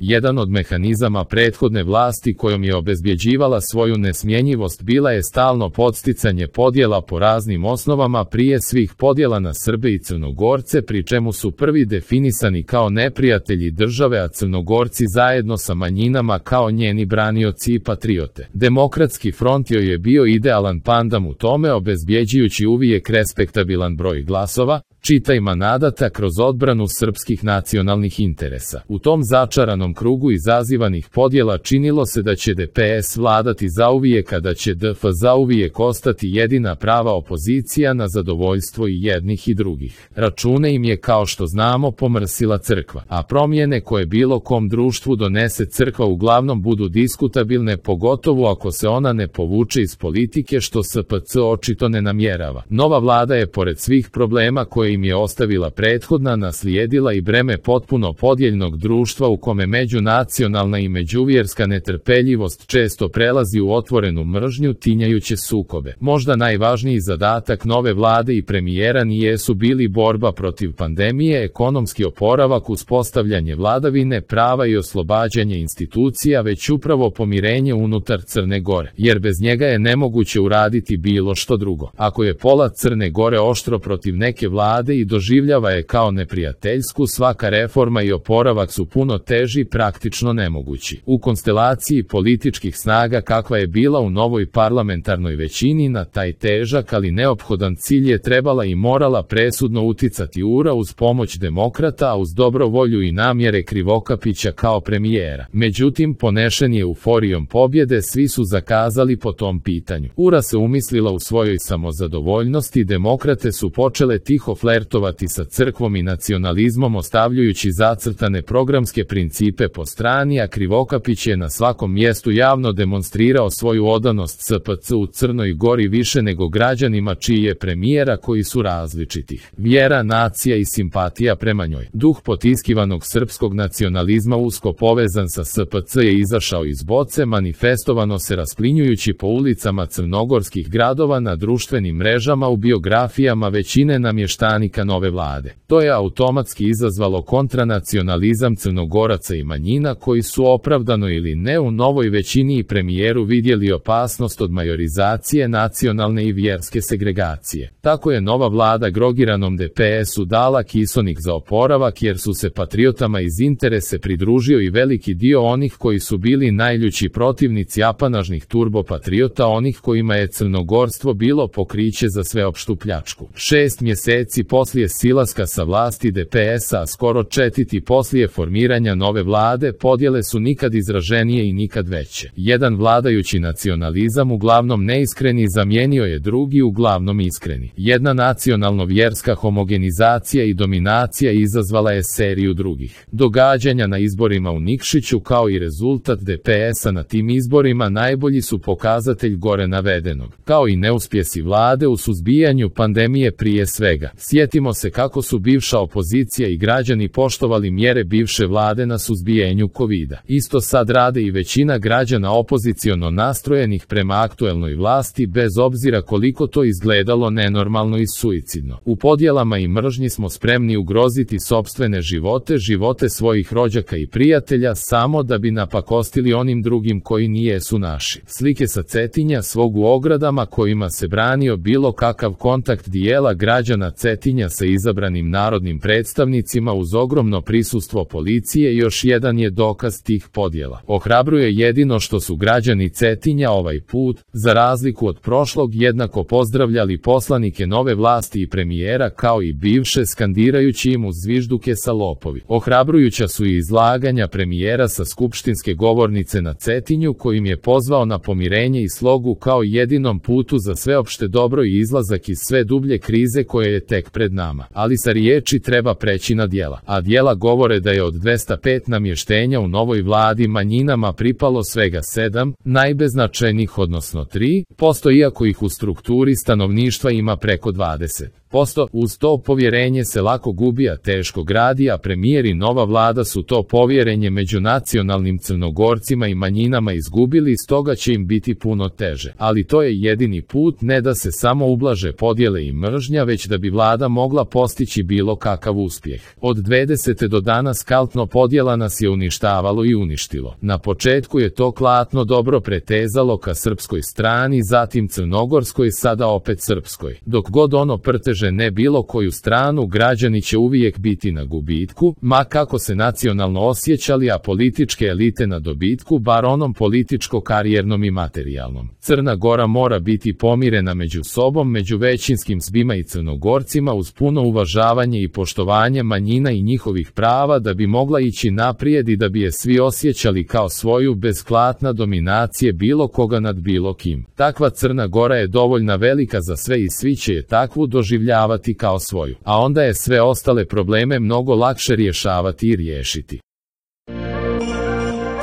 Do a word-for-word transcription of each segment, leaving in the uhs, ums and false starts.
Jedan od mehanizama prethodne vlasti kojom je obezbjeđivala svoju nesmjenjivost bila je stalno podsticanje podjela po raznim osnovama, prije svih podjela na Srbe i Crnogorce, pri čemu su prvi definisani kao neprijatelji države, a Crnogorci zajedno sa manjinama kao njeni branioci i patriote. Demokratski front joj je bio idealan pandam u tome, obezbjeđujući uvijek respektabilan broj glasova, čitaj manadata, kroz odbranu srpskih nacionalnih interesa. U tom začaranom krugu izazivanih podjela činilo se da će D P S vladati zauvijek, a da će D F zauvijek ostati jedina prava opozicija na zadovoljstvo i jednih i drugih. Račune im je, kao što znamo, pomrsila crkva, a promjene koje bilo kom društvu donese crkva uglavnom budu diskutabilne, pogotovo ako se ona ne povuče iz politike, što S P C očito ne namjerava. Nova vlada je, pored svih problema koje im je ostavila prethodna, naslijedila i breme potpuno podijeljnog društva u kome međunacionalna i međuvjerska netrpeljivost često prelazi u otvorenu mržnju, tinjajuće sukobe. Možda najvažniji zadatak nove vlade i premijera nijesu bili borba protiv pandemije, ekonomski oporavak, uspostavljanje vladavine prava i oslobađanje institucija, već upravo pomirenje unutar Crne Gore, jer bez njega je nemoguće uraditi bilo što drugo. Ako je pola Crne Gore oštro protiv neke vlade i doživljava je kao neprijateljsku, svaka reforma i oporavak su puno teži, praktično nemogući. U konstelaciji političkih snaga kakva je bila u novoj parlamentarnoj većini, na taj težak ali neophodan cilj je trebala i morala presudno uticati U R A uz pomoć demokrata, a uz dobro volju i namjere Krivokapića kao premijera. Međutim, ponešen je euforijom pobjede, svi su zakazali po tom pitanju. U R A se umislila u svojoj samozadovoljnosti, demokrate su počele tiho flertovati sa crkvom i nacionalizmom, ostavljajući zacrtane programske principe po strani, a Krivokapić je na svakom mjestu javno demonstrirao svoju odanost S P C u Crnoj Gori više nego građanima čiji je premijera, koji su različitih vjera, nacija i simpatija prema njoj. Duh potiskivanog srpskog nacionalizma, usko povezan sa S P C, je izašao iz boce, manifestovano se rasplinjujući po ulicama crnogorskih gradova, na društvenim mrežama, u biografijama većine namještanika nove vlade. To je automatski izazvalo kontranacionalizam Crnogoraca i manjina, koji su opravdano ili ne u novoj većini i premijeru vidjeli opasnost od majorizacije nacionalne i vjerske segregacije. Tako je nova vlada grogiranom D P S-u dala kisonik za oporavak, jer su se patriotama iz interese pridružio i veliki dio onih koji su bili najljući protivnici apanažnih turbopatriota, onih kojima je crnogorstvo bilo pokriće za sveopštu pljačku. Šest mjeseci poslije silaska sa vlasti D P S-a, a skoro četiri poslije formiranja nove vlade, podjele su nikad izraženije i nikad veće. Jedan vladajući nacionalizam, uglavnom neiskreni, zamijenio je drugi, uglavnom iskreni. Jedna nacionalno-vjerska homogenizacija i dominacija izazvala je seriju drugih događanja na izborima u Nikšiću, kao i rezultat D P S-a na tim izborima najbolji su pokazatelj gore navedenog, kao i neuspjesi vlade u suzbijanju pandemije prije svega. Sjetimo se kako su bivša opozicija i građani poštovali mjere bivše vlade na suzbijenju kovida. Isto sad rade i većina građana opoziciono nastrojenih prema aktuelnoj vlasti, bez obzira koliko to izgledalo nenormalno i suicidno. U podjelama i mržnji smo spremni ugroziti sopstvene živote, živote svojih rođaka i prijatelja, samo da bi napakostili onim drugim koji nijesu naši. Slike sa Cetinja, svog u ogradama kojima se branio bilo kakav kontakt dijela građana Cetinja sa izabranim narodnim predstavnicima uz ogromno prisustvo policije, još jedan je dokaz tih podjela. Ohrabruje jedino što su građani Cetinja ovaj put, za razliku od prošlog, jednako pozdravljali poslanike nove vlasti i premijera kao i bivše, skandirajući im uz zvižduke sa lopovi. Ohrabrujuća su i izlaganja premijera sa skupštinske govornice na Cetinju, kojim je pozvao na pomirenje i slogu kao jedinom putu za sveopšte dobro i izlazak iz sve dublje krize koje je tek pred nama. Ali sa riječi treba preći na djela, a djela govore da je od dvesta pet namještenja u novoj vladi manjinama pripalo svega sedam, najbeznačajnijih odnosno tri posto, iako ih u strukturi stanovništva ima preko dvadeset posto. posto. Uz to povjerenje se lako gubi, a teško gradi, a premijer i nova vlada su to povjerenje među nacionalnim Crnogorcima i manjinama izgubili, stoga će im biti puno teže. Ali to je jedini put, ne da se samo ublaže podjele i mržnja, već da bi vlada mogla postići bilo kakav uspjeh. Od dvadesete do danas kaltno podjela nas je uništavalo i uništilo. Na početku je to klatno dobro pretezalo ka srpskoj strani, zatim crnogorskoj, sada opet srpskoj. Dok god ono prteže ne bilo koju stranu, građani će uvijek biti na gubitku, ma kako se nacionalno osjećali, a političke elite na dobitku, bar onom političko-karijernom i materijalnom. Crna Gora mora biti pomirena među sobom, među većinskim Srbima i Crnogorcima, uz puno uvažavanje i poštovanje manjina i njihovih prava, da bi mogla ići naprijed i da bi je svi osjećali kao svoju, bez klatna dominacije bilo koga nad bilo kim. Takva Crna Gora je dovoljna velika za sve i svi će je takvu doživljavati kao svoju, a onda je sve ostale probleme mnogo lakše rješavati i riješiti.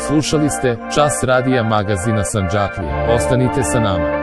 Slušali ste Čas radija magazina Sandžaklija. Ostanite sa nama.